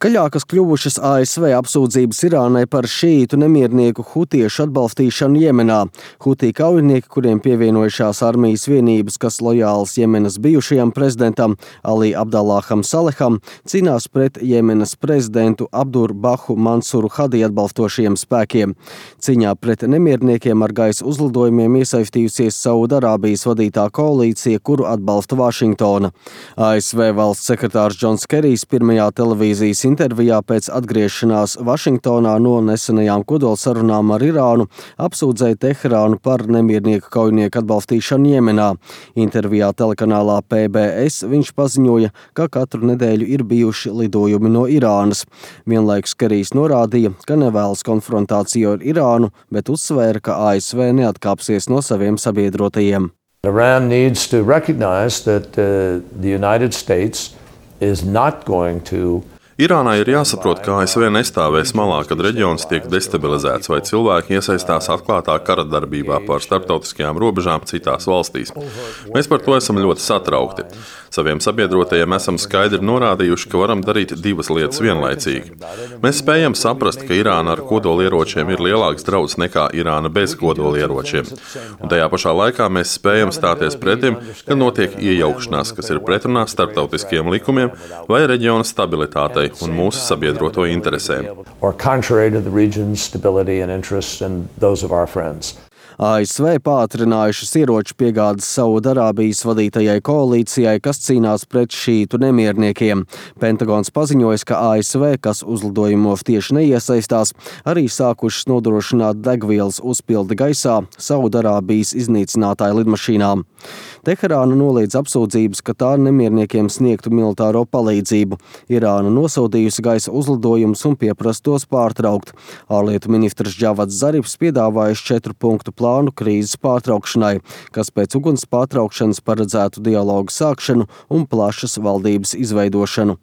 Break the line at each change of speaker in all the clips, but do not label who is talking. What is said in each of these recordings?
Skaļākas kļuvušas ASV apsūdzības Irānai par šītu nemiernieku hutiešu atbalstīšanu Jemenā. Hutī kaujinieki, kuriem pievienojušās armijas vienības, kas lojāls Jemenas bijušajam prezidentam Ali Abdallaham Saleham, cīnās pret Jemenas prezidentu Abdurbahu Mansuru Hadi atbalstošiem spēkiem. Cīņā pret nemierniekiem ar gaisa uzlidojumiem iesaistījusies Saudarābijas vadītā koalīcija, kuru atbalsta Vašingtona. ASV valsts sekretārs Džons Kerijs pirmajā televīzijas intervijā pēc atgriešanās Vašingtonā no nesenajām kodolsarunām ar Irānu apsūdzēja Teherānu par nemiernieku kaujinieku atbalstīšanu Jemenā. Intervijā telekanālā PBS viņš paziņoja, ka katru nedēļu ir bijuši lidojumi no Irānas. Vienlaikus Kerijs norādīja, ka nevēlas konfrontāciju ar Irānu, bet uzsvēra, ka ASV neatkāpsies no saviem sabiedrotajiem.
Iran needs to recognize that the United States is not going to
Irānai ir jāsaprot, ka ASV nestāvēs malā, kad reģions tiek destabilizēts vai cilvēki iesaistās atklātā kara darbībā pār starptautiskajām robežām citās valstīs. Mēs par to esam ļoti satraukti. Saviem sabiedrotajiem esam skaidri norādījuši, ka varam darīt divas lietas vienlaicīgi. Mēs spējam saprast, ka Irāna ar kodolieročiem ir lielāks draudz nekā Irāna bez kodolieročiem. Un tajā pašā laikā mēs spējam stāties pretim, kad notiek iejaukšanās, kas ir pretrunā starptautiskiem likumiem vai reģiona stabilitātei un mūsu sabiedroto interesēm.
ASV pātrinājušas ieroču piegādes Saudarābijas vadītajai koalīcijai, kas cīnās pret šītu nemierniekiem. Pentagons paziņoja, ka ASV, kas uzlidojumos tieši neiesaistās, arī sākušas nodrošināt degvielas uzpildi gaisā Saudarābijas iznīcinātāju lidmašīnām. Teherāna noliedz apsūdzības, ka tā nemierniekiem sniegtu militāro palīdzību. Irāna nosodījusi gaisa uzlidojumus un pieprasa tos pārtraukt. Ārlietu ministrs Džavads Zarifs piedāvājis 4-punktu plānu krīzes pārtraukšanai, kas pēc uguns pārtraukšanas paredzētu dialogu sākšanu un plašas valdības izveidošanu.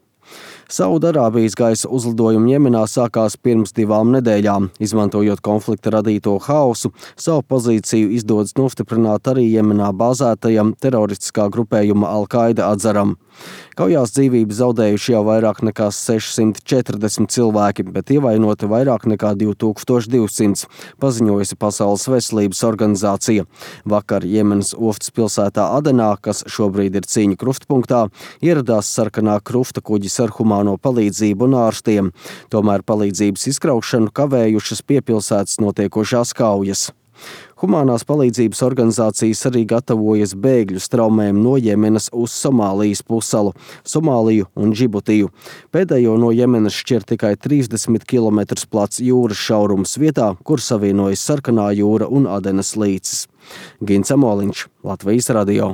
Saudarābijas gaisa uzlidojumi Jemenā sākās pirms 2 nedēļām. Izmantojot konflikta radīto haosu, savu pozīciju izdodas nostiprināt arī Jemenā bāzētajam teroristiskā grupējuma Al-Qaida atzaram. Kaujās dzīvību zaudējuši jau vairāk nekā 640 cilvēki, bet ievainoti vairāk nekā 2200, paziņojusi Pasaules veselības organizācija. Vakar Jemenas ostas pilsētā Adenā, kas šobrīd ir cīņu krustpunktā, ieradās sarkanā krusta kuģis ar humāno palīdzību un ārstiem. Tomēr palīdzības izkraušanu kavējušas pie pilsētas notiekošās kaujas. Humānās palīdzības organizācijas arī gatavojas bēgļu straumēm no Jemenas uz Somālijas pussalu, Somāliju un Džibutiju. Pēdējo no Jemenas šķir tikai 30 km plats jūras šaurums vietā, kur savienojas Sarkanā jūra un Adenas līcis. Gins Amoliņš, Latvijas radio.